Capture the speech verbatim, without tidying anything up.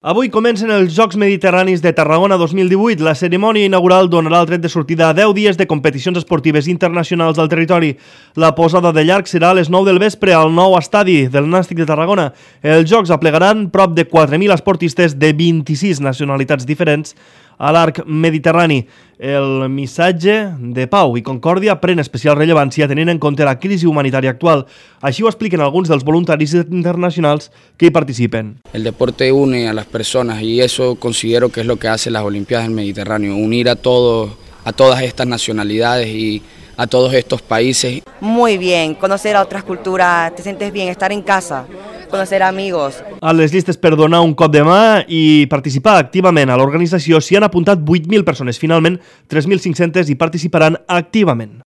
Avui comencen els Jocs Mediterranis de Tarragona dos mil divuit. La cerimònia inaugural donarà el tret de sortida a deu dies de competicions esportives internacionals al territori. La posada de llarg serà a les nou del vespre al nou estadi del Nàstic de Tarragona. Els Jocs aplegaran prop de quatre mil esportistes de vint-i-sis nacionalitats diferents a l'arc mediterrani. El missatge de pau i concòrdia pren especial rellevància tenint en compte la crisi humanitària actual. Així ho expliquen alguns dels voluntaris internacionals que hi participen. El deporte une a las personas y eso considero que es lo que hace las Olimpiadas del Mediterráneo, unir a todos, a todas estas nacionalidades y a todos estos países. Muy bien, conocer a otras culturas, te sientes bien, estar en casa, conocer amigos. A les llistes per donar un cop de mà i participar activament a l'organització s'hi han apuntat vuit mil persones. Finalment, tres mil cinc-centes hi participaran activament.